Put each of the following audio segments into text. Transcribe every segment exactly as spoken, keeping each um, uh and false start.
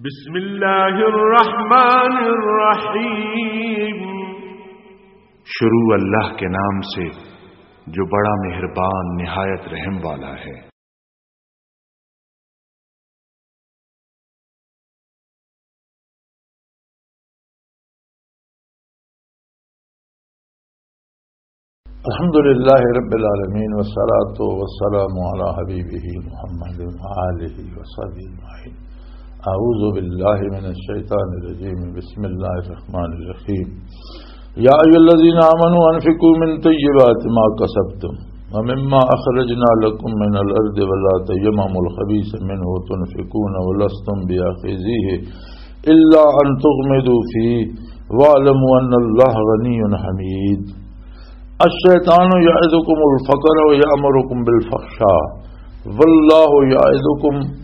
بسم اللہ الرحمن الرحیم۔ شروع اللہ کے نام سے جو بڑا مہربان نہایت رحم والا ہے۔ الحمد لله رب العالمين، والصلاة والسلام على حبيبه محمد وآله وصحبه أجمعين. أعوذ بالله من الشيطان الرجيم. بسم الله الرحمن الرحيم. يا أيها الذين آمنوا أنفقوا من طيبات ما كسبتم ومما أخرجنا لكم من الأرض ولا تيمموا الخبيث منه تنفقون ولستم بآخذيه إلا أن تغمضوا فيه واعلموا أن الله غني حميد. الشيطان يعدكم الفقر ويأمركم بالفحشاء والله يعدكم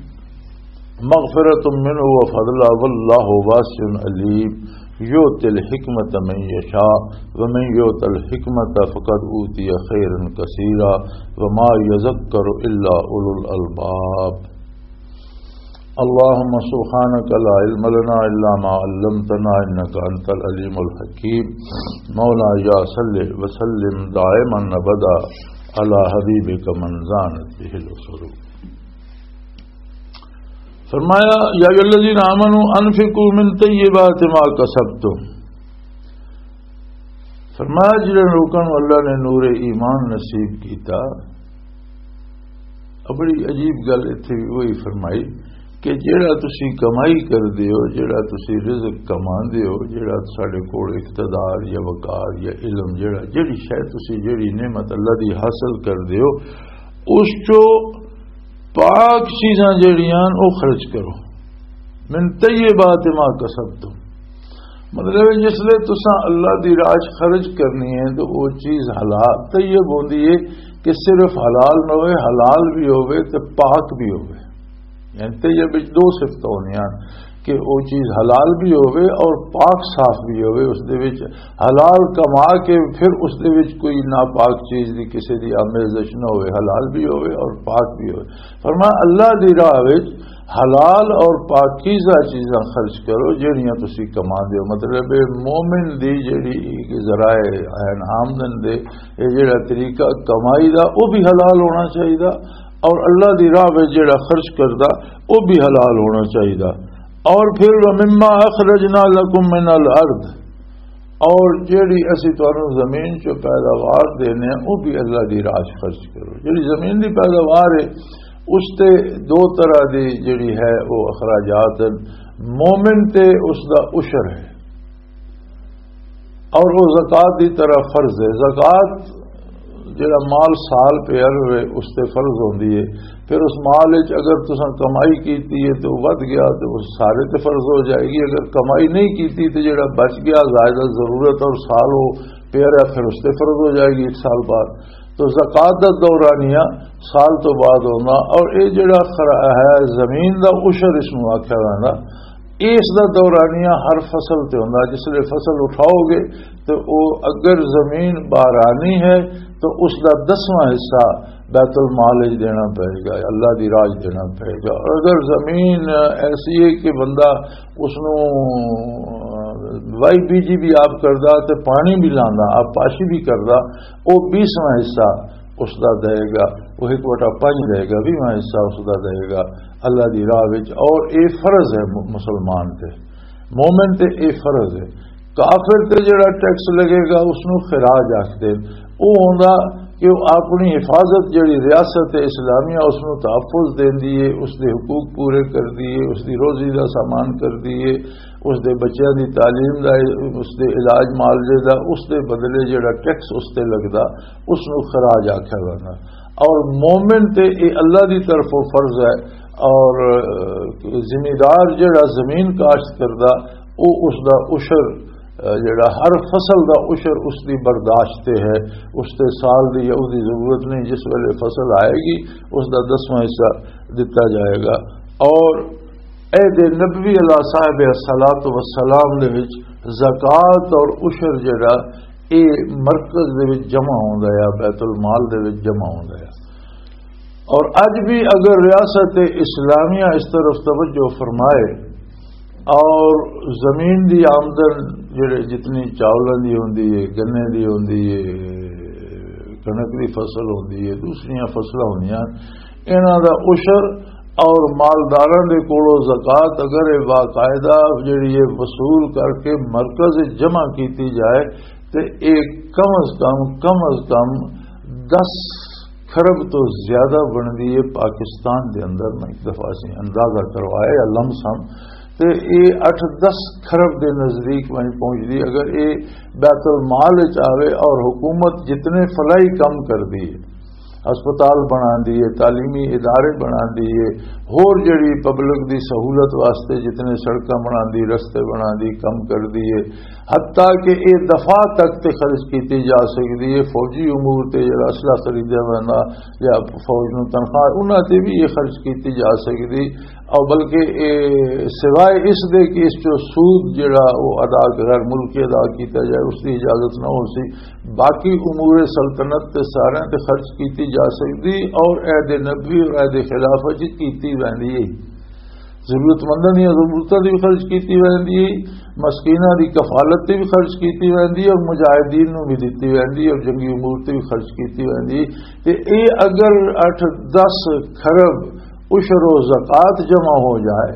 مغفرة منه وفضلا والله واسع عليم. يؤتي الحكمة من يشاء ومن يؤت الحكمة فقد أوتي خيرا كثيرا وما يذكر إلا أولو الألباب. اللهم سبحانك لا علم لنا إلا ما علمتنا إنك أنت العليم الحكيم. مولاي صل وسلم دائما أبدا على حبيبك من زانت به العصور. فرمایا، یا ایھا الذین آمنوا انفقوا من طیبات ما کسبتم۔ فرمایا، جنہاں لوکاں نوں اللہ نے نور ایمان نصیب کیتا، اب بڑی عجیب گل اتھے وی وہی فرمائی کہ جیڑا تسی کمائی کردے ہو، جیڑا تسی رزق کماندے ہو، جیڑا ساڈے کول اقتدار یا وقار یا علم، جیڑا، جیڑی شے تسی، جیڑی نعمت اللہ دی حاصل کردے ہو، اس چو پاک چیزاں جیڑیاں او خرچ کرو۔ من طیبات ما کسبتم، مطلب ہے، جس لئے تساں اللہ دی راہ چ خرچ کرنی ہے تو وہ چیز حلال طیب ہوندی ہے کہ صرف حلال نہ ہوئے، حلال بھی ہوئے تے پاک بھی ہوئے۔ یعنی طیب وچ دو صفتاں ہوندیاں کہ وہ چیز حلال بھی ہوئے اور پاک صاف بھی ہوئے، اس دے وچ حلال کما کے پھر اس دے وچ کوئی ناپاک چیز دی، کسی دی آمیزش نہ ہوئے، حلال بھی ہوئے اور پاک بھی ہوئے۔ فرمایا، اللہ دی راہ وچ حلال اور پاکیزہ چیزاں خرچ کرو، جہڑیاں تسی کما دیو۔ مطلب ہے، مومن دی جہڑی ذرائع ہیں آمدن دے، یہ جہڑا طریقہ کمائی دا، وہ بھی حلال ہونا چاہیے، اور اللہ دی راہ وچ جہڑا خرچ کردا، وہ بھی حلال ہونا چاہیے۔ اور پھر، وَمِمَّا أَخْرَجْنَا لَكُم مِّنَ الْأَرْضِ، اور جیڑی اسی تانوں زمین چوں پیداوار دینے ہیں، وہ بھی اللہ دی راہ چ خرچ کرو۔ جیڑی زمین دی پیداوار ہے، اس تے دو طرح دی جیڑی ہے، وہ اخراجات ہیں۔ مومن تے اس دا عشر ہے، اور وہ زکوٰۃ دی طرح فرض ہے۔ زکوٰۃ جڑا مال سال پیا رہے، اس تے فرض ہوندی ہے۔ پھر اس مال وچ اگر تساں کمائی کیتی ہے تے وہ ودھ گیا تے وہ سارے تے فرض ہو جائے گی، اگر کمائی نہیں کیتی تے جڑا بچ گیا زائدہ ضرورت اور سال وہ پیا رہا، پھر اس تے فرض ہو جائے گی ایک سال بعد۔ تو زکوٰۃ دا دورانیہ سال تو بعد ہونا، اور یہ جڑا خرا-، ہے زمین دا عشر اس نوں آکھیا ویندا، اس دا دورانیہ ہر فصل تے ہوندا۔ جس لئے فصل اٹھاؤ گے تو او اگر زمین بارانی ہے تو اس دا دسواں حصہ بیت المال وچ دینا پئے گا، اللہ دی راج دینا پئے گا۔ اور اگر زمین ایسی ہے کہ بندہ اس نوں وائی بی جی بھی آپ کردا تے پانی بھی لاندا، آپ پاشی بھی کردا، او بیسواں حصہ اس دا دے گا، وہ ایک وٹا پنج دے گا، بیسواں حصہ اس دا دے گا اللہ دی راہ وچ۔ اور اے فرض ہے م-، مسلمان تے، مومن تے اے فرض ہے۔ کافر تے جڑا ٹیکس لگے گا، اس نوں خراج آکھدے۔ او ہوندا کہ او اپنی حفاظت، جڑی ریاست اسلامیہ اس نوں تحفظ دیندی ہے، اس دے حقوق پورے کردی ہے، اس دی روزی دا سامان کردی ہے، اس دے بچیاں دی تعلیم دا، اس دے علاج معالجے دا، اس دے بدلے جڑا ٹیکس اس تے لگدا، اس نوں خراج آکھیا ویندا۔ اور مومن تے اے اللہ دی طرفوں فرض ہے، اور، اہ، زمیندار جڑا زمین کاشت کردا، او اس دا عشر، اہ، جڑا ہر فصل دا عشر اس دی برداشت تے ہے، اس تے سال دی یا اس دی ضرورت نہیں، جس ویلے فصل آئے گی اس دا دسواں حصہ دتا جائے گا۔ اور عہد نبوی علیہ صاحب الصلوۃ والسلام دے وچ زکوٰۃ اور عشر جڑا، اے مرکز دے وچ جمع ہوندا ہے، بیت المال دے وچ جمع ہوندا ہے۔ اور اج بھی اگر ریاست اسلامیہ اس طرف توجہ فرمائے اور زمین دی آمدن، جڑے جتنی چاولاں دی ہوندی ہے، گنے دی ہوندی ہے، کنک دی فصل ہوندی ہے، دوسریاں فصلاں ہوندیاں، انہاں دا عشر اور مالداراں دے کولوں زکوٰۃ اگر یہ باقاعدہ جڑی ہے وصول کر کے مرکز وچ جمع کیتی جائے، تے ایک کم از کم، کم از کم دس کھرب تو زیادہ بندی ہے پاکستان دے اندر۔ میں ایک دفعہ سے اندازہ کروایا یا لم سم، تے اے اٹھ دس کھرب دے نزدیک میں پہنچ دی۔ اگر اے بیت المال وچ آوے اور حکومت جتنے فلاحی کم کر دی ہے، ہسپتال بنا دیے، تعلیمی ادارے بنا دیے، ہور جڑی پبلک دی سہولت واسطے جتنے سڑکاں بنا دی، رستے بنا دی، کم کر دیے، حتیٰ کہ اے دفاع تک تے خرچ کیتی جا سکدی ہے، فوجی امور تے جڑا اسلحہ خریدیا ویندا یا فوج نوں تنخواہ، انہاں تے بھی یہ خرچ کیتی جا سکدی۔ اور بلکہ اے سوائے اس دے کہ اس چوں سود جڑا وہ ادا، غیر ملکی ادا کیتا جائے، اس دی اجازت نہ ہو سی، باقی امور سلطنت تے سارے تے خرچ کیتی جا سکدی۔ اور عہد نبوی اور عہد خلافت جی کیتی ویندی ہے۔ ضرورت منداں دیاں ضرورتاں دی بھی خرچ کیتی ویندی ہے، مسکیناں دی کفالت تے بھی خرچ کیتی ویندی ہے، اور مجاہدین نوں بھی دتی ویندی ہے، اور جنگی امور تے بھی خرچ کیتی ویندی ہے۔ تے اے اگر اٹھ دس کھرب عشر و زکوٰۃ جمع ہو جائے،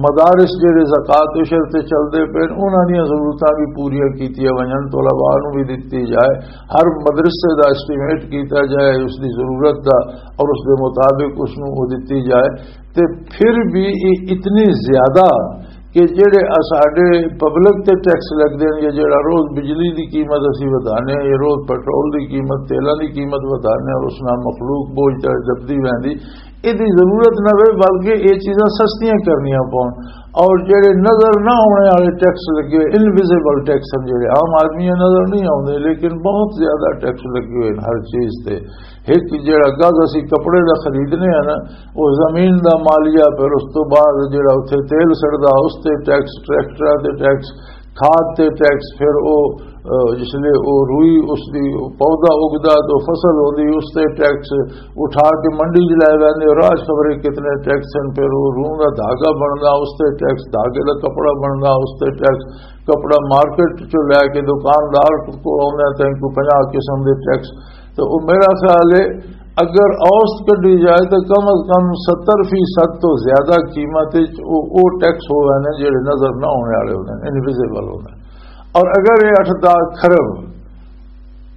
مدارس جڑے زکوٰۃ عشر تے چلدے پے، انہاں دیاں ضرورتاں بھی پوریاں کیتیاں ونجن، طلباء نوں بھی دتی جائے، ہر مدرسے دا ایسٹیمیٹ کیتا جائے اس دی ضرورت دا، اور اس دے مطابق اس نوں وہ دتی جائے، تے پھر بھی یہ اتنی زیادہ کہ جڑے اساڈے پبلک تے ٹیکس لگدے نے، یا جڑا روز بجلی دی قیمت اسی ودھانے ہیں، یا روز پٹرول دی قیمت، تیلاں دی قیمت ودھانے ہیں، اور اس نال مخلوق بوجھ تے دبدی ویندی، یہ دی ضرورت نہ ہوئے، بلکہ یہ چیزاں سستیاں کرنیاں پون۔ اور جڑے نظر نہ آنے والے ٹیکس لگے ہوئے، انویزیبل ٹیکس ہیں، جڑے عام آدمی نظر نہیں آتے، لیکن بہت زیادہ ٹیکس لگے ہوئے ہیں ہر چیز تے۔ ایک جڑا گز اسی کپڑے دا خریدنے ہیں نا، وہ زمین دا مالیہ، پھر اس تو بعد جڑا اتھے تیل سڑدا، اس تے ٹیکس، ٹریکٹراں تے ٹیکس، کھاد تے ٹیکس، پھر او، اہ، جس لے او روئی اس دی پودا اگدا تو فصل ہوندی، اس تے ٹیکس، اٹھا کے منڈی چ لے ویندے، راج خبرے کتنے ٹیکس ہیں، پھر او روں دا دھاگا بندا، اس تے ٹیکس، دھاگے دا کپڑا بندا، اس تے ٹیکس، کپڑا مارکیٹ چوں لے کے دکاندار کو آوندا تاں کوئی پنجاہ قسم دے ٹیکس۔ تو او میرا خیال ہے اگر اوسط کڈی جائے تو کم از کم ستر فیصد تو زیادہ قیمت وچ او، او ٹیکس ہو رہے ہیں جڑے نظر نہ ہونے والے ہوتے ہیں، انویزیبل ہوتے ہیں۔ اور اگر یہ اٹھ دس کھرب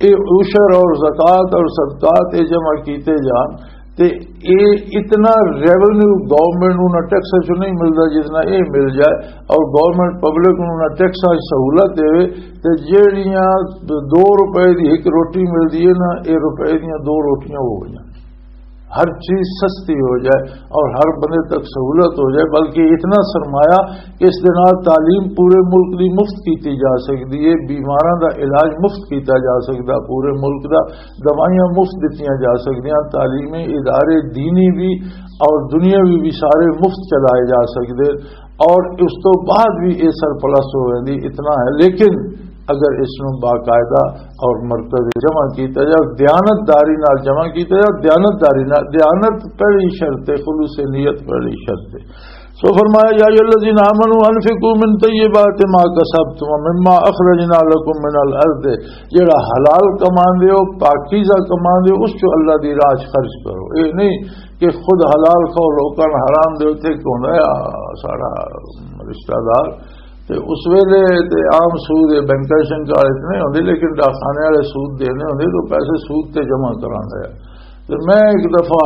یہ عشر اور زکوٰۃ اور صدقات یہ جمع کیتے جان، تے اے اتنا ریونیو گورنمنٹ نوں نہ ٹیکس چوں نہیں ملدا جتنا اے مل جائے، اور گورنمنٹ پبلک نوں نہ ٹیکس سہولت دے، تے جیڑیاں دو روپے دی ایک روٹی ملدی ہے نا، اے روپے دیاں دو روٹیاں ہو گئیاں۔ ہر چیز سستی ہو جائے اور ہر بندے تک سہولت ہو جائے، بلکہ اتنا سرمایہ کہ اس دے نال تعلیم پورے ملک دی مفت کیتی جا سکدی ہے، بیماراں دا علاج مفت کیتا جا سکدا، پورے ملک دا دوائیاں مفت دتیاں جا سکدیاں، تعلیمی ادارے دینی بھی اور دنیاوی بھی سارے مفت چلائے جا سکدے، اور اس تو بعد بھی یہ سرپلس ہو جاندی، اتنا ہے۔ لیکن اگر اس نوں باقاعدہ اور مرکز جمع کیتا جائے، دیانت داری نال جمع کیتا جائے، دیانت داری نال، دیانت پہلی شرط ہے، خلوص نیت پہلی شرط ہے۔ سو فرمایا، یا ایھا الذین آمنوا انفقوا من طیبات ما کسبتم ومما اخرجنا لکم من الارض، جڑا حلال کماندے ہو، پاکیزہ کماندے ہو، اس چوں اللہ دی راہ 'چ خرچ کرو۔ اے نہیں کہ خود حلال کھاؤ، لوکاں نوں حرام دیو۔ تے کون ہے ساڈا رشتہ دار؟ تے اس ویلے تے عام سود، اے بینکاں شنکاں والے تے نہیں ہوندے، لیکن ڈاکخانے والے سود دینے ہوندے، تو پیسے سود تے جمع کراندے آ۔ تے میں ایک دفعہ،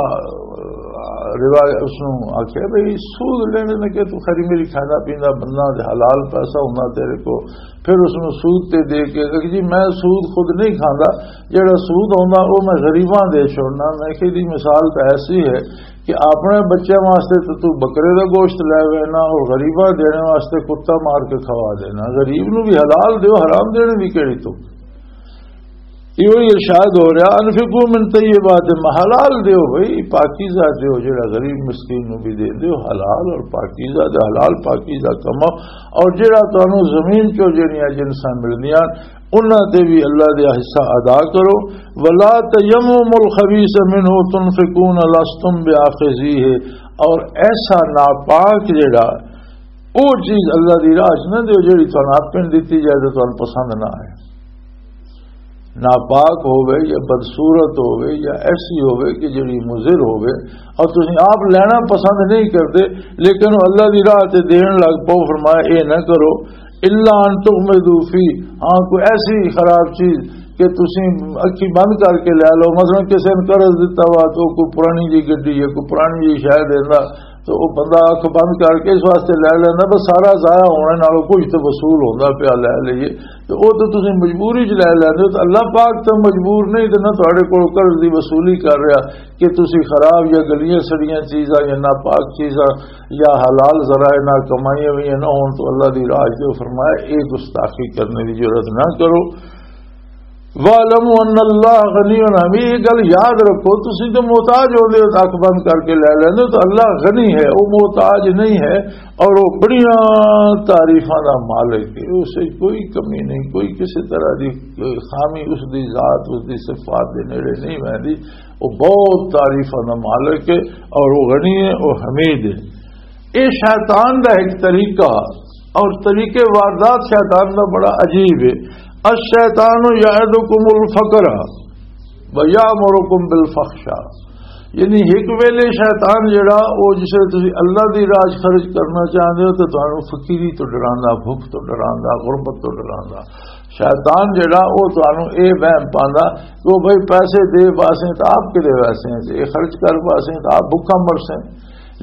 آ، روایت اس نوں آکھیا، "بھئی، سود لینے نے کہ تو خری میری کھانا پیندا بندہ تے حلال پیسہ ہوندا تیرے کو، پھر اس نوں سود تے دے کے۔" کہ جی، میں سود خود نہیں کھاندا، جڑا سود ہوندا، او میں غریباں دے چھوڑنا۔ میں کہ دی مثال تو ایسی ہے کہ اپنے بچے واسطے تو تو بکرے دا گوشت لے وینا اور غریباں دینے واسطے کتا مار کے کھوا دینا۔ غریب نوں بھی حلال دیو، حرام دینے دی کیڑی تو؟ ایہو ہی ارشاد ہو رہا، "انفقوا من طیبات ما"، حلال دیو بھائی، پاکیزہ دیو، جڑا غریب مسکین نوں بھی دے دیو، حلال اور پاکیزہ دے، حلال پاکیزہ کماؤ، اور جڑا تانوں زمین چوں جڑیاں جنساں ملدیاں، انہاں تے بھی اللہ دے حصہ ادا کرو۔ "ولا تیمموا الخبیث منہ تنفقون لستم بآخذیہ"، اور ایسا ناپاک جڑا وہ چیز اللہ دی راہ چ نہ دیو جڑی تانوں اپن دتی جائے تے تانوں پسند نہ آئے، ناپاک ہووے یا بدصورت ہووے یا ایسی ہووے کہ جڑی مضر ہووے، اور تسی آپ لینا پسند نہیں کرتے، لیکن وہ اللہ دی راہ تے دین لگ پاؤ۔ فرمایا، اے نہ کرو، الا ان تغمضوا فی، ہاں، کوئی ایسی خراب چیز کہ تسی اکھی بند کر کے لے لو۔ مثلاً کسی نے قرض دتا وا تو کوئی پرانی جی گڈی ہے، کوئی پرانی جی شاید دیندا، تو وہ بندہ اکھ بند کر کے اس واسطے لے لیندا، بس سارا ضائع ہونے نالوں کچھ تو وصول ہوندا پیا، لے لئیے۔ تو وہ تو تسی مجبوری چ لے لیندے ہو، تو اللہ پاک تو مجبور نہیں، تے نہ تہاڈے کول قرض دی وصولی کر رہا کہ تسی خراب یا گلیاں سڑیاں چیزاں یا ناپاک چیزاں یا حلال ذرائع نال کمائیاں ہوئیاں نہ ہون، تو اللہ دی راہ جو فرمایا، اے گستاخی کرنے دی جرات نہ کرو۔ وَاعْلَمُوا أَنَّ اللَّهَ غَنِيٌّ حَمِيدٌ۔ یہ گل یاد رکھو، تسی تو محتاج ہوندے ہو، اکھ بند کر کے لے لیندے ہو، تو اللہ غنی ہے، وہ محتاج نہیں ہے، اور وہ بڑیاں تعریفاں دا مالک ہے، اس وچ کوئی کمی نہیں، کوئی کسی طرح دی خامی اس دی ذات، اس دی صفات دے نیڑے نہیں ویندی۔ وہ بہت تعریفاں دا مالک ہے، اور وہ غنی ہے، وہ حمید ہے۔ یہ شیطان دا ایک طریقہ، اور طریقے واردات شیطان دا بڑا عجیب ہے۔ الشیطان یعدکم الفقر ویامرکم بالفحشاء۔ یعنی ایک ویلے شیطان جڑا، وہ جس ویلے تسی اللہ دی راہ چ خرچ کرنا چاہندے ہو، تو تانوں فقیری تو ڈراندا، بھوک تو ڈراندا، غربت تو ڈراندا۔ شیطان جڑا، وہ تانوں اے وہم پاندا کہ وہ بھائی پیسے دے واسے تو آپ کے دے واسے ہیں، اے خرچ کر واسے تو آپ بھوکا مرسے۔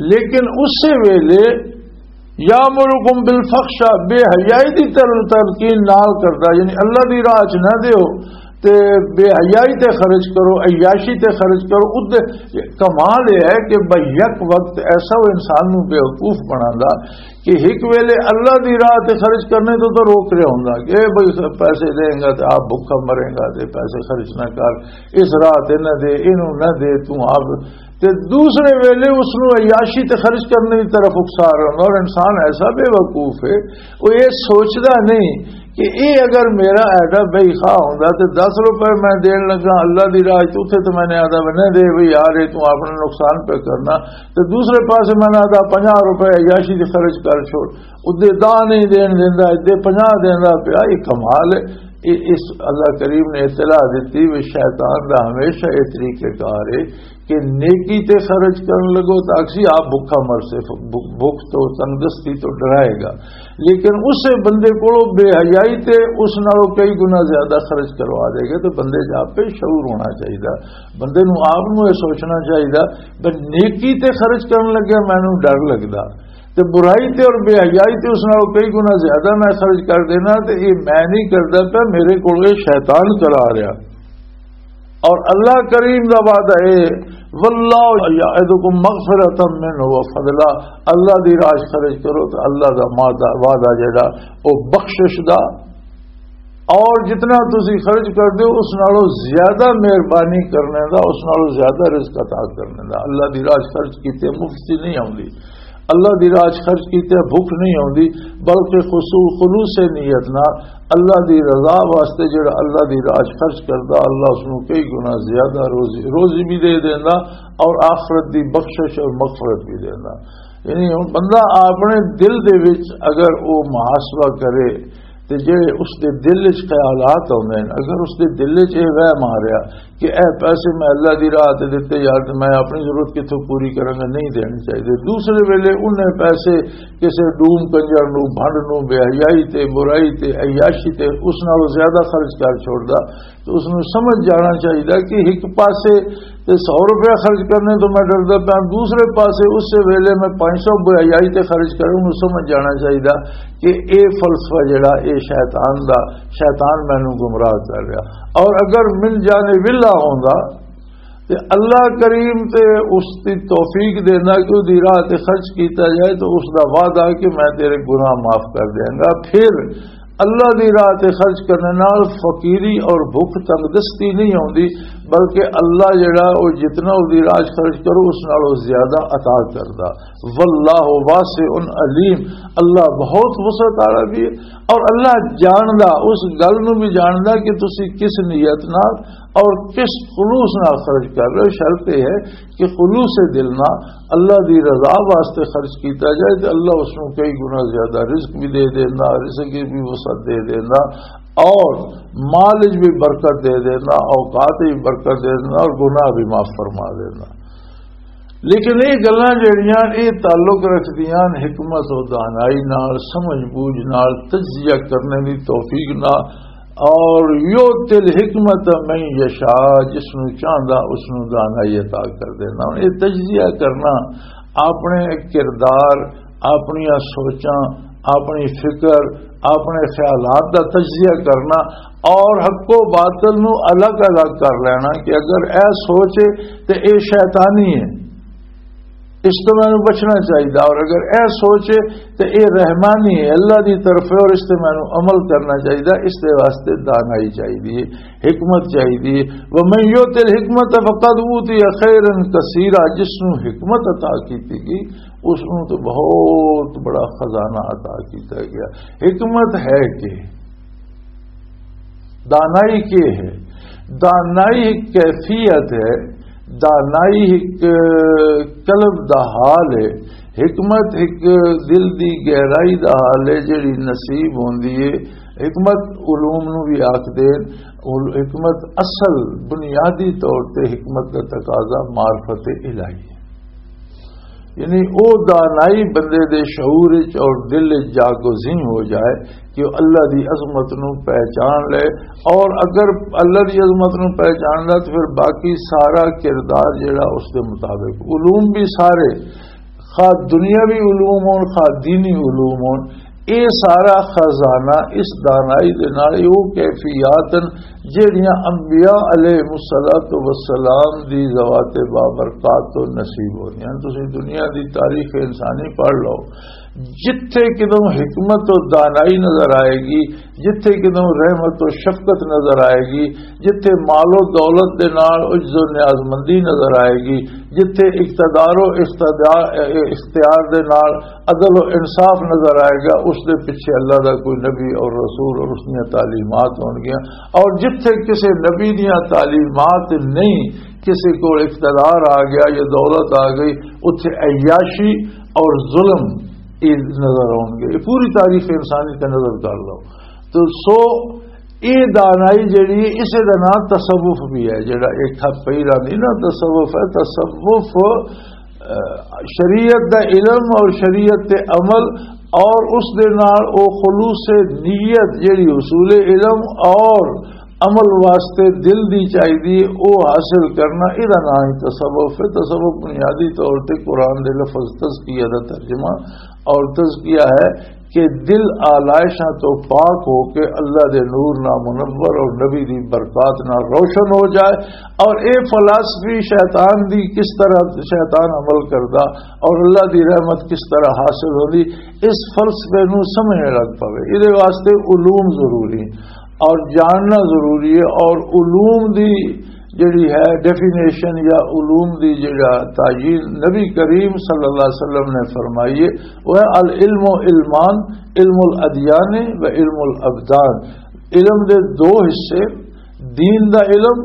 لیکن اسی ویلے یامرکم بالفحشاء، بے حیائی دی تر-، تلقین نال کردا، یعنی اللہ دی راہ چ نہ دیو تے بے حیائی تے خرچ کرو، عیاشی تے خرچ کرو۔ ادے کمال یہ ہے کہ بھئی یک وقت ایسا وہ انسان نو بیوقوف بناندا کہ ایک ویلے اللہ دی راہ تے خرچ کرنے تو تو روک رہا ہوندا کہ اے بھئی پیسے دیں گا تے آپ بھوکا مریں گا، تے پیسے خرچ نہ کر، اس راہ تے نہ دے، اینو نہ دے، تو آپ تے دوسرے ویلے اس نو عیاشی تے خرچ کرنے دی طرف اکسا رہا ہوندا۔ اور انسان ایسا بے وقوف ہے، وہ یہ سوچدا نہیں کہ اے اگر میرا ایڈا بھائی خواہ ہوندا تے دس روپے میں دین لگا اللہ دی راہ چ، اتھے تے میں نے آدا، "نہ دے بھائی یار، اے تو اپنا نقصان پہ کرنا۔" تے دوسرے پاسے میں نے آدا، "پنجاہ روپے عیاشی تے خرچ کر چھوڑ۔" ادے دا نہیں دین دیندا، ادے پنجاہ دیندا پیا۔ یہ کمال ہے۔ اے، اس اللہ کریم نے اطلاع دتی، وہ شیطان دا ہمیشہ یہ طریقہ کار ہے کہ نیکی تے خرچ کرن لگو تو اکسی آپ بھوکا مرسے، بھوک تو تنگستی تو ڈرائے گا، لیکن اسے بندے کو بے حیائی تے اس نالوں کئی گنا زیادہ خرچ کروا دے گا۔ تو بندے جا پہ شعور ہونا چاہیے، بندے نو آپ نو یہ سوچنا چاہیے، بس نیکی تے خرچ کرن لگیا مینوں ڈر لگدا، تے برائی تے اور بے حیائی تے اس نالوں کئی گنا زیادہ میں خرچ کر دینا، تے یہ میں نہیں کردا پیا، میرے کول یہ شیطان چلا رہا۔ اور اللہ کریم دا وعدہ ہے، "واللہ یعدکم مغفرۃ منہ و فضلا"، اللہ دی راہ خرچ کرو تو اللہ دا وعدہ، وعدہ جڑا، او بخشش دا، اور جتنا تسی خرچ کر دیو، اس نالوں زیادہ مہربانی کرنے دا، اس نالوں زیادہ رزق عطا کرنے دا۔ اللہ دی راہ خرچ کیتے مفت چ نہیں آوندی، اللہ دی راہ خرچ کیتے بھوک نہیں آوندی، بلکہ خصو-، خلوص نیت نال اللہ دی رضا واسطے جڑا اللہ دی راہ خرچ کردا، اللہ اس نوں کئی گنا زیادہ روزی، روزی بھی دے دیندا اور آخرت دی بخشش اور مغفرت بھی دیندا۔ یعنی ہن بندہ اپنے دل دے وچ اگر او محاسبہ کرے تے جڑے اس دے دل وچ خیالات ہوندے نے، اگر اس دے دل وچ یہ وہم آ رہا کہ اے پیسے میں اللہ دی راہ تے دتے یار، تے میں اپنی ضرورت کتھوں پوری کراں گا، نہیں دینے چاہیے۔ دوسرے ویلے انہیں پیسے کسے ڈوم کنجر نو، بھنڈ نو، بے حیائی تے، برائی تے، عیاشی تے اس نالوں زیادہ خرچ کر چھوڑدا، تو اس نوں سمجھ جانا چاہیے کہ ایک پاسے تے سو روپیہ خرچ کرنے تو میں ڈردا پیا، دوسرے پاسے اس سے ویلے میں پانچ سو بے حیائی تے خرچ کروں، انہوں سمجھ جانا چاہیے کہ اے فلسفہ جڑا، اے شیطان دا، شیطان مینوں گمراہ کر رہا۔ اور اگر من جانب اللہ ہوندا تے اللہ کریم تے اس دی توفیق دیندا کہ اس دی راہ تے خرچ کیتا جائے، تو اس دا وعدہ کہ میں تیرے گناہ معاف کر دیاں گا۔ پھر اللہ دی راہ تے خرچ کرنے نال فقیری اور بھوک تنگ دستی نہیں ہوندی، بلکہ اللہ جڑا، او جتنا اس دی راہ چ خرچ کرو، اس نال او زیادہ عطا کردا۔ واللہ واسع علیم، اللہ بہت وسعت والا بھی ہے، اور اللہ جاندا، اس گل نو بھی جاندا کہ تسی کس نیت نال اور کس خلوص نال خرچ کر رہے ہو؟ شرط یہ ہے کہ خلوص دل نال اللہ دی رضا واسطے خرچ کیتا جائے، تے اللہ اس نوں کئی گنا زیادہ رزق بھی دے دینا، رزق کی بھی وسعت دے دینا، اور مال وچ بھی برکت دے دینا، اوقات وچ بھی برکت دے دینا، اور گناہ بھی معاف فرما دینا۔ لیکن یہ گلاں جڑیاں، یہ تعلق رکھدیاں حکمت و دانائی نال، سمجھ بوجھ نال، تجزیہ کرنے دی توفیق نال۔ اور یؤتی الحکمت من یشاء، جس نوں چاہندا اس نوں دانائی عطا کر دینا۔ ہن یہ تجزیہ کرنا، اپنے کردار، اپنیاں سوچاں، اپنی فکر، اپنے خیالات دا تجزیہ کرنا اور حق و باطل نو الگ الگ کر لینا کہ اگر اے سوچ ہے تے اے شیطانی ہے، اس تو مینوں بچنا چاہیے، اور اگر اے سوچ ہے تے اے رحمانی ہے، اللہ دی طرف ہے اور اس تے مینوں عمل کرنا چاہیے۔ اس دے واسطے دانائی چاہیے، حکمت چاہیے۔ ومن یؤت الحکمت فقد اوتی خیرا کثیرا، جس نو حکمت عطا کیتی گئی، اس نو تو بہت بڑا خزانہ عطا کیتا گیا۔ حکمت ہے کہ دانائی کے ہے؟ دانائی ایک کیفیت ہے، دانائی ایک قلب دا حال ہے، حکمت ایک دل دی گہرائی دا حال ہے جڑی نصیب ہوندی ہے۔ حکمت علوم نو بھی آکھ دے، حکمت اصل بنیادی طور تے حکمت کا تقاضا معرفت الہی ہے۔ یعنی او دانائی بندے دے شعور وچ اور دل وچ جاگزین ہو جائے کہ وہ اللہ دی عظمت نو پہچان لے، اور اگر اللہ دی عظمت نو پہچان لے تو پھر باقی سارا کردار جڑا اس دے مطابق، علوم بھی سارے، خواہ دنیاوی علوم ہون خواہ دینی علوم ہون، اے سارا خزانہ اس دانائی دے نال، او کیفیات ہن جہڑیاں انبیاء علیہ الصلوۃ والسلام دی ذوات بابرکات تو نصیب ہونیاں۔ تسی دنیا دی تاریخ انسانی پڑھ لو، جتھے کدوں حکمت و دانائی نظر آئے گی، جتھے کدوں رحمت و شفقت نظر آئے گی، جتھے مال و دولت دے نال عجز و نیاز مندی نظر آئے گی، جتھے اقتدار و اقتدار، اختیار دے نال عدل و انصاف نظر آئے گا، اس دے پیچھے اللہ دا کوئی نبی اور رسول اور اس دیاں تعلیمات ہون گیاں۔ اور جتھے کسے نبی دیاں تعلیمات نہیں، کسے کو اقتدار آ گیا یا دولت آ گئی، اتھے عیاشی اور ظلم یہ نظر آؤن گے۔ یہ پوری تاریخ انسانی تے نظر کر لو۔ تو سو یہ دانائی جڑی ہے، اسے دا نام تصوف بھی ہے۔ جڑا ایک ہاتھ پہلا نہیں نا، تصوف ہے۔ تصوف، آ، شریعت دا علم اور شریعت تے عمل اور اس دے نال او خلوص نیت جڑی حصول علم اور عمل واسطے دل دی چاہیدی ہے، او حاصل کرنا، اے دا نام ہی تصوف ہے۔ تصوف بنیادی طور تے قرآن دے لفظ تزکیہ دا ترجمہ اور تزکیہ ہے کہ دل آلائشاں تو پاک ہو کے اللہ دے نور نہ منور اور نبی دی برکات نہ روشن ہو جائے۔ اور اے فلسفی شیطان دی کس طرح شیطان عمل کردا اور اللہ دی رحمت کس طرح حاصل ہوندی، اس فلسفے نو سمجھنے لگ پوے۔ اے دے واسطے علوم ضروری اور جاننا ضروری ہے۔ اور علوم دی جڑی ہے ڈیفینیشن یا علوم دی جڑا تعین نبی کریم صلی اللہ علیہ وسلم نے فرمائی ہے، وہ ہے العلم علمان، علم الادیان و علم الابدان۔ علم دے دو حصے، دین دا علم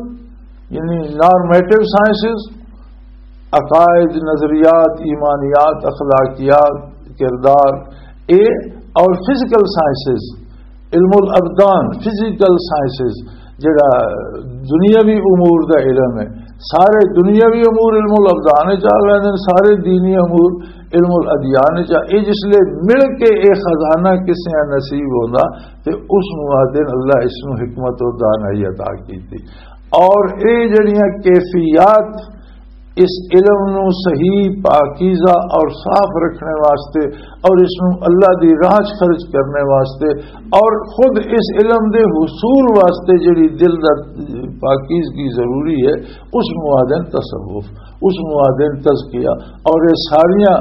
یعنی نارمیٹو سائنسز، عقائد، نظریات، ایمانیات، اخلاقیات، کردار، اے اور فزیکل سائنسز، علم الابدان، فزیکل سائنسز، جڑا دنیاوی امور دا علم ہے، سارے دنیاوی امور علم الابدان وچ آ ویندے نے، سارے دینی امور علم الادیان وچ آ۔ اے جس لے مل کے اے خزانہ کسے نصیب ہوندا تے اس نوں آدھے نے اللہ اس نوں حکمت و دانائی عطا کیتی۔ اور اے جڑیاں کیفیات اس علم نو صحیح، پاکیزہ اور صاف رکھنے واسطے اور اس نو اللہ دی راہ چ خرچ کرنے واسطے اور خود اس علم دے حصول واسطے جڑی دل دا پاکیزگی ضروری ہے، اس نو آدھن تصوف، اس نو آدھن تزکیہ۔ اور یہ ساریاں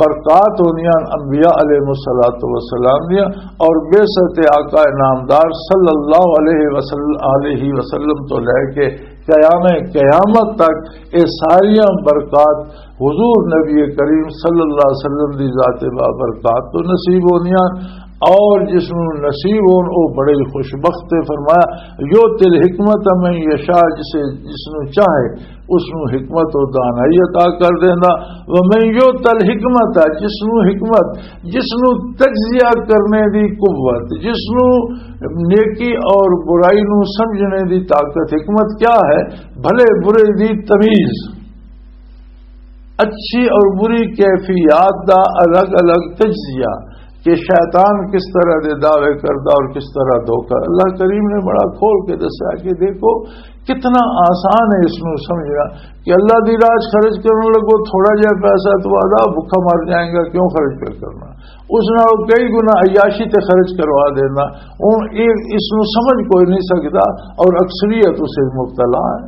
برکات ہوندیاں انبیاء علیہ الصلوۃ والسلام دیاں، اور بعثت آقا نامدار صلی اللہ علیہ وسلم، علیہ وسلم تو لے کے قیام قیامت تک یہ ساریاں برکات حضور نبی کریم صلی اللہ علیہ وسلم دی ذات بابرکات تو نصیب ہوندیاں۔ اور جس نوں نصیب ہون، او بڑے ہی خوش بخت ہے۔ فرمایا، یؤتی الحکمت من یشاء، جسے، جس نوں چاہے، اس نوں حکمت اور دانائی عطا کر دیندا۔ ومن یؤت الحکمت، جس نوں حکمت، جس نوں تجزیہ کرنے دی قوت، جس نوں نیکی اور برائی نوں سمجھنے دی طاقت، حکمت کیا ہے؟ بھلے برے دی تمیز، اچھی اور بری کیفیات دا الگ الگ تجزیہ، کہ شیطان کس طرح دے دعوے کردا اور کس طرح دھوکا۔ اللہ کریم نے بڑا کھول کے دسیا کہ دیکھو، کتنا آسان ہے اس نوں سمجھنا کہ اللہ دی راہ 'چ خرچ کرن لگو، تھوڑا جہا پیسہ تو آدھا بھکھا مر جائے گا، کیوں خرچ پہ کرنا؟ اس نال کئی گنا عیاشی تے خرچ کروا دینا۔ ہن اے، اس نوں سمجھ کوئی نہیں سکدا، اور اکثریت اسے مبتلا ہے،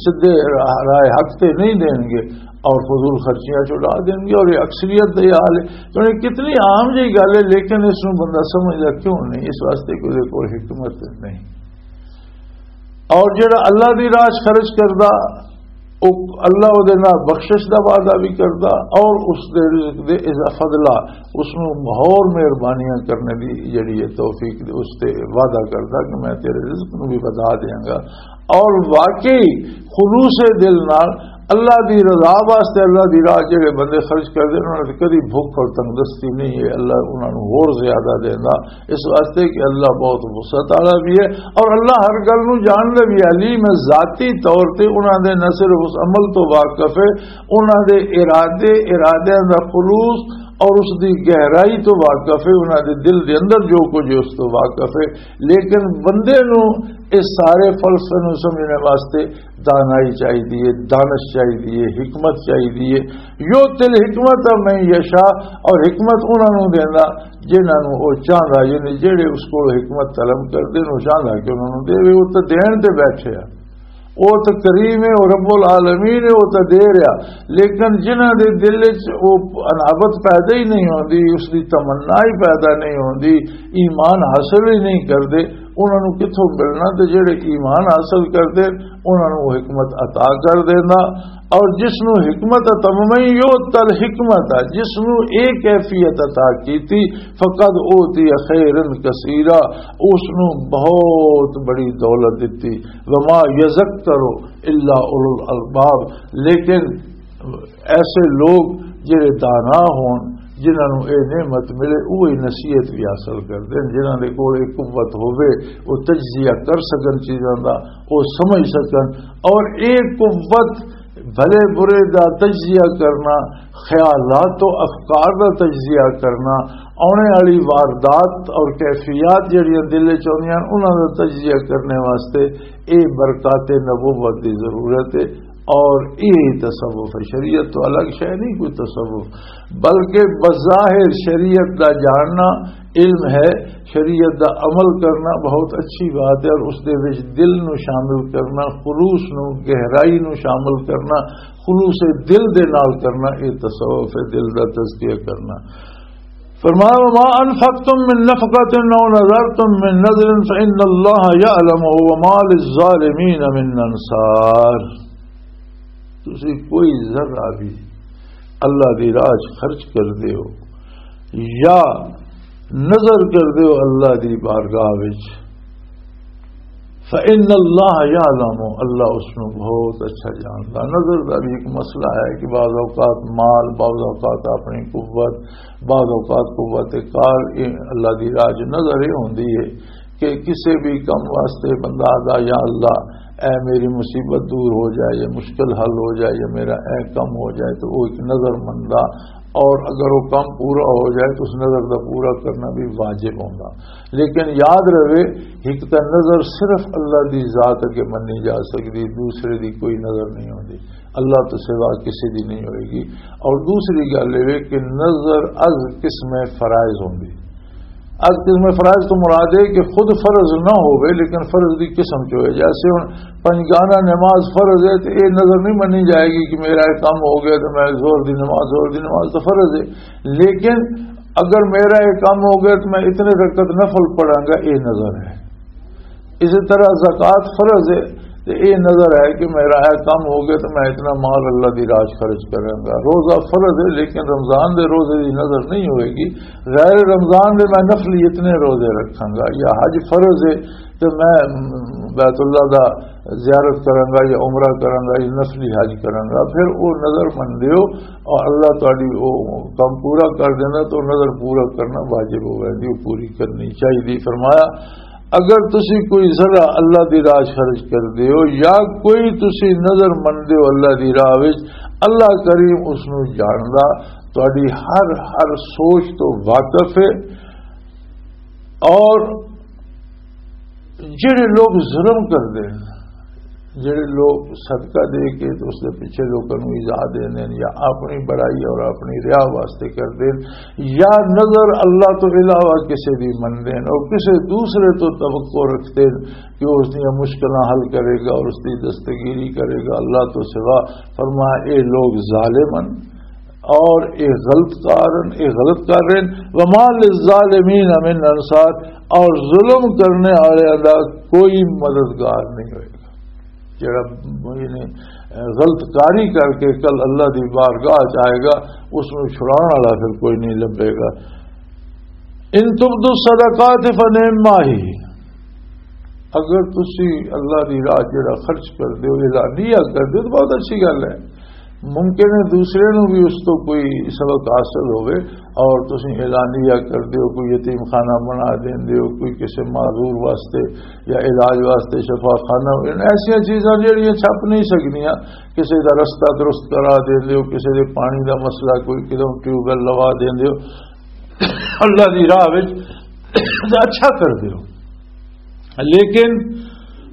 سدھے راہ، راہ حق تے نہیں دین گے اور فضول خرچیاں چ اڑا دین گے، اور یہ اکثریت دا یہ حال ہے۔ تو یہ کتنی عام جی گل ہے، لیکن اس نوں بندہ سمجھدا کیوں نہیں؟ اس واسطے کہ اس دے کول حکمت نہیں۔ اور جڑا اللہ دی راہ 'چ خرچ کردا، او اللہ او دے نال بخشش دا وعدہ بھی کردا، اور اس دے رزق دے اضافہ فضلہ، اس نوں ہور مہربانیاں کرنے دی جڑی ہے توفیق دے، اس تے وعدہ کردا کہ میں تیرے رزق نوں بھی ودھا دیاں گا۔ اور واقعی خلوص دل نال اللہ دی رضا واسطے اللہ دی راہ جڑے بندے خرچ کردے، انہاں تے کدی بھوک اور تنگدستی نہیں ہے، اللہ انہاں نوں ہور زیادہ دیندا، اس واسطے کہ اللہ بہت وسعت والا بھی ہے اور اللہ ہر گل نوں جاندا بھی ہے، علیم ہے، ذاتی طور تے انہاں دے نہ صرف اس عمل تو واقف ہے، انہاں دے ارادے، ارادیاں دا خلوص اور اس دی گہرائی تو واقف ہے، انہاں دے دل دے اندر جو کچھ ہے اس تو واقف ہے۔ لیکن بندے نوں اس سارے فلسفے نوں سمجھنے واسطے دانائی چاہیدی ہے، دانش چاہیدی ہے، حکمت چاہیدی ہے۔ یؤتی الحکمت من یشاء، اور حکمت انہاں نوں دیندا جنہاں نوں او چاہندا، یعنی جڑے اس کول حکمت طلب کردے نوں چاہندا کہ انہاں نوں دے، او تے دین تے بیٹھے آ، او تے کریم ہے، او رب العالمین ہے، او تے دے رہا۔ لیکن جنہاں دے دل وچ او انابت پیدا ہی نہیں ہوندی، اس دی تمنا ہی پیدا نہیں ہوندی، ایمان حاصل ہی نہیں کردے، انہاں نوں کتھوں ملنا؟ تے جڑے ایمان حاصل کردے، انہاں نوں حکمت عطا کر دیندا۔ اور جس نوں حکمت عطا، من یؤت الحکمت، جس نوں اے کیفیت عطا کیتی، فقد اوتی خیرا کثیرا، اس نوں بہت بڑی دولت دتی۔ وما یذکر الا اولو الالباب، لیکن ایسے لوگ جڑے دانا ہون، جنہاں نوں اے نعمت ملے، وہی نصیحت بھی حاصل کردے ہیں۔ جنہاں دے کول اے قوت ہوے، وہ تجزیہ کر سکن چیزاں دا، وہ سمجھ سکن۔ اور اے قوت بھلے برے دا تجزیہ کرنا، خیالات و افکار دا تجزیہ کرنا، آنے والی واردات اور کیفیات جڑیاں دل وچ آندیاں، انہاں دا تجزیہ کرنے واسطے اے برکات نبوت دی ضرورت ہے۔ اور یہی تصوف ہے، شریعت تو الگ شے نہیں کوئی تصوف، بلکہ بظاہر شریعت دا جاننا علم ہے، شریعت دا عمل کرنا بہت اچھی بات ہے، اور اس دے وچ دل نو شامل کرنا، خلوص نو، گہرائی نو شامل کرنا، خلوص دل دے نال کرنا، یہ تصوف ہے، دل دا تزکیہ کرنا۔ فرمایا، وما انفقتم من نفقة او نذرتم من نذر فان اللہ یعلمہ وما للظالمین من انصار۔ تسی کوئی ذرہ بھی اللہ دی راہ 'چ خرچ کر دیو یا نظر کر دیو اللہ دی بارگاہ وچ، فإن اللہ یعلم، اللہ اس نو بہت اچھا جاندا۔ نظر دا بھی ایک مسئلہ ہے کہ بعض اوقات مال، بعض اوقات اپنی قوت، بعض اوقات قوت کار، یہ اللہ دی راہ 'چ نظر یہ ہوندی ہے کہ کسے بھی کم واسطے بندہ آدا، یا اللہ، اے میری مصیبت دور ہو جائے، یا مشکل حل ہو جائے، یا میرا اے کم ہو جائے، تو وہ ایک نظر مندا، اور اگر وہ کم پورا ہو جائے تو اس نظر دا پورا کرنا بھی واجب ہوندا۔ لیکن یاد رہے، ایک تا نظر صرف اللہ دی ذات اگے منی جا سکدی، دوسرے دی کوئی نظر نہیں ہوندی، اللہ تو سوا کسی دی نہیں ہوئے گی۔ اور دوسری گل یہ کہ نظر از قسم فرائض ہوندی، از قسم فرائض تو مراد ہے کہ خود فرض نہ ہوئے، لیکن فرض دی قسم چ ہوئے۔ جیسے ہن پنجگانہ نماز فرض ہے، تو یہ نظر نہیں منی جائے گی کہ میرا یہ کام ہو گیا تو میں زور دی نماز، زور دی نماز تو فرض ہے، لیکن اگر میرا یہ کام ہو گیا تو میں اتنے رکعت نفل پڑھاں گا، یہ نظر ہے۔ اسی طرح زکوٰۃ فرض ہے، تے اے نظر ہے کہ میرا اے کم ہو گیا تے میں اتنا مال اللہ دی راہ 'چ خرچ کراں گا۔ روزہ فرض ہے، لیکن رمضان دے روزے دی نظر نہیں ہوئے گی، غیر رمضان دے میں نفلی اتنے روزے رکھاں گا، یا حج فرض ہے تے میں بیت اللہ دا زیارت کراں گا یا عمرہ کراں گا یا نفلی حج کراں گا، پھر او نظر مندے ہو اور اللہ تہاڈی او کم پورا کر دیندا، تو نظر پورا کرنا واجب ہو ویندی، او پوری کرنی چاہیے۔ فرمایا، اگر تسی کوئی ذرہ اللہ دی راہ 'چ خرچ کر دیو یا کوئی تسی نظر مندے ہو اللہ دی راہ وچ، اللہ کریم اس نو جاندا، تہاڈی ہر ہر سوچ تو واقف ہے۔ اور جڑے لوگ ظلم کردے ہیں، جڑے لوگ صدقہ دے کے تے اس دے پیچھے لوکاں نوں ایذا دیندے نے یا اپنی بڑائی اور اپنی ریا واسطے کردے نے یا نظر اللہ تو علاوہ کسے دی مندے نے اور کسے دوسرے تو توقع رکھدے نے کہ وہ اس دیاں مشکلاں حل کرے گا اور اس دی دستگیری کرے گا اللہ تو سوا، فرمایا اے لوگ ظالم ہیں اور اے غلط کار ہیں، اے غلط کر رہے ہیں۔ وما للظالمین من انصار، اور ظلم کرنے والے دا کوئی مددگار نہیں ہوئے گا۔ جڑا یعنی غلط کاری کر کے کل اللہ دی بارگاہ 'چ آئے گا، اس نوں چھڑان والا پھر کوئی نہیں لبھے گا۔ ان تبدوا الصدقات فنعم ما ہی، اگر تسی اللہ دی راہ جڑا خرچ کر دیو، اعلانیہ کر دیو، تو بہت اچھی گل ہے۔ ممکن ہے دوسرے نوں بھی اس تو کوئی سبق حاصل ہوئے اور تسی اعلانیہ کر دیو، کوئی یتیم خانہ بنا دین دیو، کوئی کسے معذور واسطے یا علاج واسطے شفا خانہ، ان ایسیاں چیزاں جڑیاں چھپ نہیں سکدیاں، کسے دا رستہ درست کرا دین دیو، کسے دے پانی دا مسئلہ، کوئی کدوں ٹیوب ویل لوا دین دیو، اللہ دی راہ وچ اچھا کر دیو۔ لیکن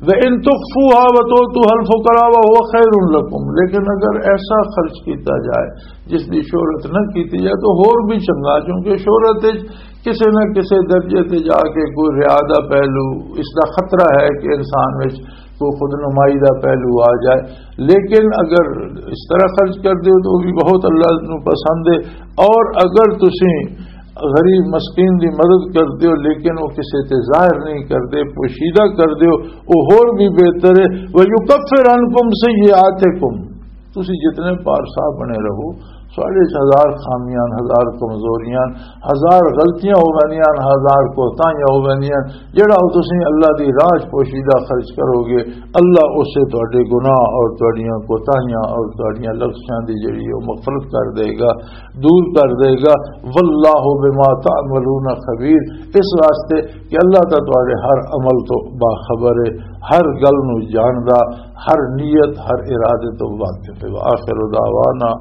وَإِن تُخْفُوهَا وَتُؤْتُوهَا الْفُقَرَاءَ فَهُوَ خَيْرٌ لَكُمْ، لیکن اگر ایسا خرچ کیتا جائے جس دی شہرت نہ کیتی جائے تو ہور بھی چنگا، کیونکہ شہرت وچ کسے نہ کسے درجے تے جا کے کوئی ریا دا پہلو، اس دا خطرہ ہے کہ انسان وچ کوئی خود نمائی دا پہلو آ جائے۔ لیکن اگر اس طرح خرچ کر دیو تو وہ بھی بہت اللہ نو پسند ہے۔ اور اگر تسی غریب مسکین دی مدد کر دیو لیکن وہ کسے تے ظاہر نہیں کر دے، پوشیدہ کر دیو، وہ ہور بھی بہتر ہے۔ وَيُكَفِّرْ عَنْكُمْ سَيِّئَاتِكُمْ، تسی جتنے پارسا بنے رہو، ساڑھے ہزار خامیاں، ہزار کمزوریاں، ہزار غلطیاں ہو ویندیاں، ہزار کوتاہیاں ہو ویندیاں، جڑا او تسی اللہ دی راہ 'چ پوشیدہ خرچ کرو گے، اللہ اسے تہاڈے گناہ اور تہاڈیاں کوتاہیاں اور تہاڈیاں لغزشاں دی جڑی او مغفرت کر دے گا، دور کر دے گا۔ واللہ بما تعملون خبیر، اس واسطے کہ اللہ تعالیٰ تہاڈے ہر عمل تو باخبر ہے، ہر گل نو جاندا، ہر نیت، ہر ارادے تو واقف ہے۔ وآخر دعوانا